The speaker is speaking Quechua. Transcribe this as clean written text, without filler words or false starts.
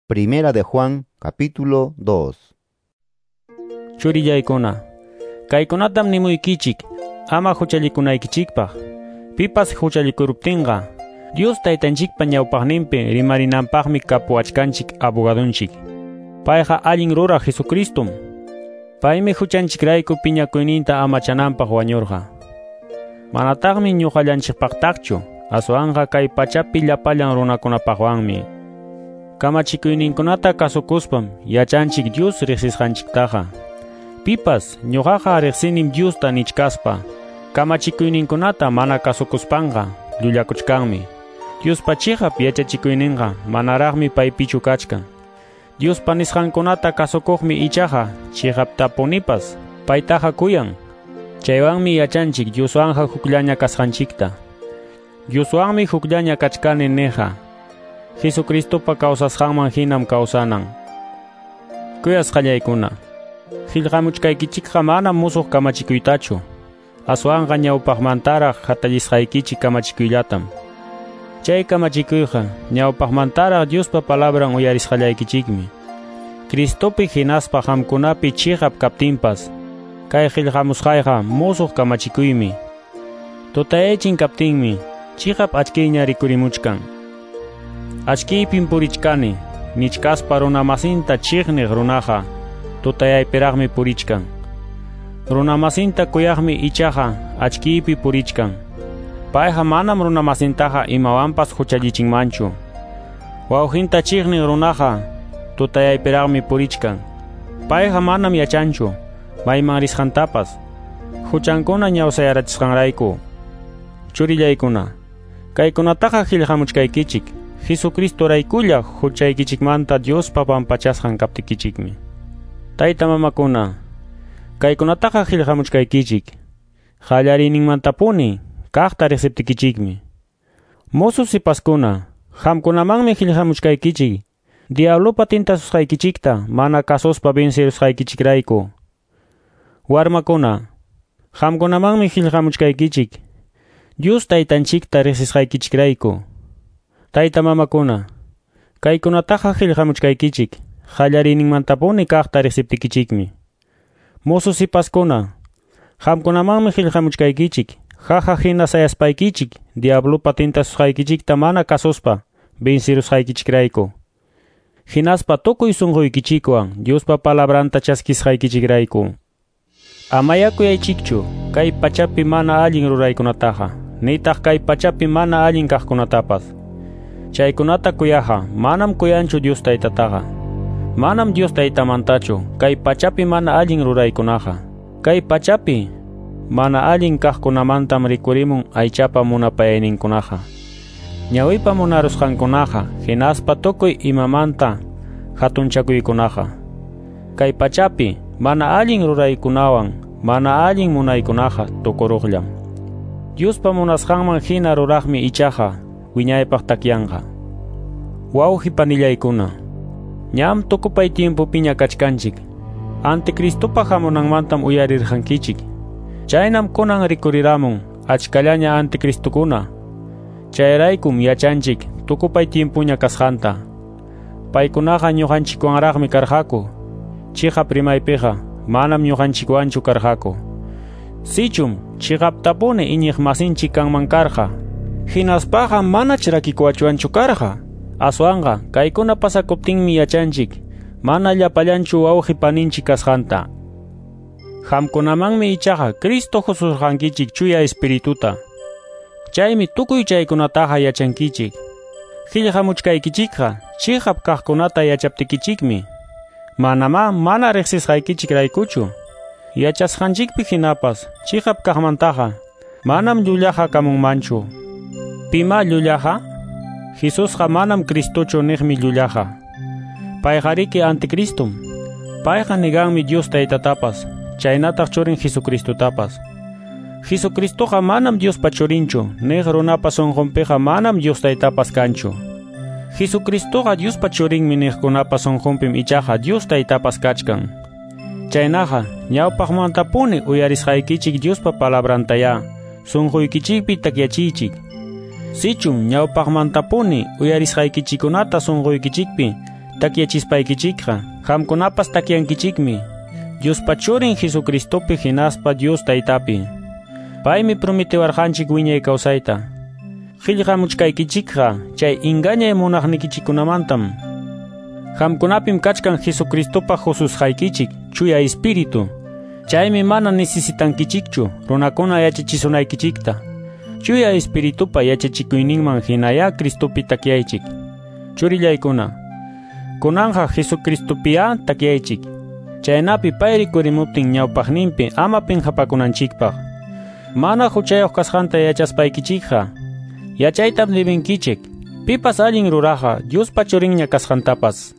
Primera de Juan, capítulo 2. Churillaykuna, kaykunatam nimuykichik, ama huchallikunaykichikpaq. Pipas huchallikuruptinqa, Dios taytanchikpa ñawpaqninpi rimarinanpaqmi kapuwachkanchik abogadunchik. Payqa allin ruraq Jesucristum. Paymi huchanchikrayku piñakuyninta amachananpaq wañurqa. Manataqmi ñuqallanchikpaqtaqchu, aswanqa kay pachapi llapallan runakunapaqwanmi. Kamachikuyninkunata kasukuspam yachanchik Dios riqsisqanchiktaqa. Pipas ñuqaqa riqsinim Diosta nichkaspa, kamachikuyninkunata mana kasukuspanqa llullakuchkanmi. Diospa chiqap yachachikuyninqa manaraqmi paypichu kachkan. Diospa nisqankunata kasukuqmi ichaqa chiqaptapunipas paytaqa kuyan. Chaywanmi yachanchik Dioswanqa hukllaña kasqanchikta. Dioswanmi hukllaña kachkani niqqa, Jesucristopa kawsasqanman hinam kawsanan. Kuyasqallaykuna, qillqamuchkaykichikqa manam musuq kamachikuytachu, aswanqa ñawpaqmantaraq hatallisqaykichik kamachikuyllatam. Chay kamachikuyqa ñawpaqmantaraq Diospa palabran uyarisqallaykichikmi. Cristopi hinaspa qamkunapi chiqap kaptinpas, kay qillqamusqayqa musuq kamachikuymi. Tutayachin kaptinmi chiqap achkiyña rikurimuchkan. Achkiypim purichkani, nichkaspa runamasinta chiqniq runaqa tutayaypiraqmi purichkan. Runamasinta kuyaqmi ichaqa achkiypi purichkan. Payqa manam runamasintaqa imawanpas huchallichinmanchu. Wawqinta chiqniq runaqa tutayaypiraqmi purichkan. Payqa manam yachanchu mayman risqantapas, huchankuna ñawsayarachisqanrayku. Churillaykuna, kaykunataqa qillqamuchkaykichik, Jesucristoraykulla huchaykichikmanta Diospa pampachasqan kaptikichikmi. Tayta mamakuna, kaykunataqa qillqamuchkaykichik, qallariyninmantapuni kaqta riqsiptikichikmi. Mozo sipaskuna, qamkunamanmi qillqamuchkaykichik, diablopa tintasusqaykichikta mana kasuspa vencirusqaykichikrayku. Warmakuna, qamkunamanmi qillqamuchkaykichik, Dios taytanchikta riqsisqaykichikrayku. Tayta mamakuna, kaykunataqa qillqamuchkaykichik, qallariyninmantapuni kaqta riqsiptikichikmi. Mozo sipaskuna, qamkunamanmi qillqamuchkaykichik, jaja hina sayaspaykichik, diablopa tintasusqaykichikta mana kasuspa vencirusqaykichikrayku. Hinaspa tukuy sunquykichikwan Diospa palabranta chaskisqaykichikrayku. Amaya kuyaychikchu kay pachapi mana allin ruraykunataqa, nitaq kay pachapi mana allin kaqkunatapas. Chaykunata kuyaqa manam kuyanchu Dios taytataqa. Manam Dios taytamantachu kay pachapi mana allin ruraykunaqa. Kay pachapi mana allin kaqkunamantam rikurimun aychapa munapayayninkunaqa. Ñawipa munarusqankunaqa hinaspa tukuy imamanta hatunchakuykunaqa. Kay pachapi mana allin ruraykunawan mana allin munaykunaqa tukuruqllam. Diospa munasqanman hina ruraqmi ichaqa wiñaypaq takyanqa. Wawqi panillaykuna, ñam tukupay tiempopiña kachkanchik. Anticristopa hamunanmantam uyarirqankichik. Chaynam kunan rikuriramun achkallaña anticristukuna. Chayraykum yachanchik tukupay tiempuña kasqanta. Paykunaqa ñuqanchikwanraqmi karqaku. Chiqap rimaypiqa manam ñuqanchikwanchu karqaku. Sichum chiqaptapuni iñiq masinchik kanman karqa, hinaspaqa manach rakikuachwanchu karqa. Aswanqa kaykuna pasakuptinmi yachanchik mana llapallanchu wawqi paninchik kasqanta. Qamkunamanmi ichaqa Cristo hususqankichik chuya espirituta. Chaymi tukuy chaykunataqa yachankichik. Qillqamuchkaykichikqa chiqap kaqkunata yachaptikichikmi. Manamá mana riqsisqaykichikraykuchu. Yachasqanchikpi hinapas chiqap kaqmantaqa manam llullaqa kamunmanchu. Pima llullaqa? Jesusqa manam Cristochu niqmi llullaqa. Payqariki anticristum. Payqa niganmi Dios taytatapas, chaynataq churin Jesucristotapas. Jesucristoqa manam Diospa churinchu, niq runapa sunqunpiqa manam Dios taytapas kanchu. Jesucristoqa Diospa churinmi niqkunapa sunqunpim ichaqa Dios taytapas kachkan. Chaynaqa ñawpaqmantapuni uyarisqaykichik Diospa palabrantayá sunquykichikpi takyachiychik. Sichum ñawpaqmantapuni uyarisqaykichikunata sunquykichikpi takyachispaykichikqa, qamkunapas takyankichikmi, Diospa Churin Jesucristopi hinaspa Dios Taytapi. Paymi prometiwarqanchik wiñay kawsayta. Qillqamuchkaykichikqa chay engañay munaqnikichikkunamantam. Qamkunapim kachkan Jesucristopa hususqaykichik Chuya Espíritu. Chaymi mana necesitankichikchu runakuna yachachisunaykichikta. Chuya Espiritupa yachachikuyninman hinaya Cristopi takyaychik. Churillaykuna, kunanja Jesucristopiya takyaychik. Chaynapi pay rikurimuptin ñawpaqninpi ama pinqapakunanchikpaq. Mana huchayuq kasqanta yachaspaykichikqa, yachaytam debinkichik. Pipas allin ruraqa Diospa churinña kasqantapas.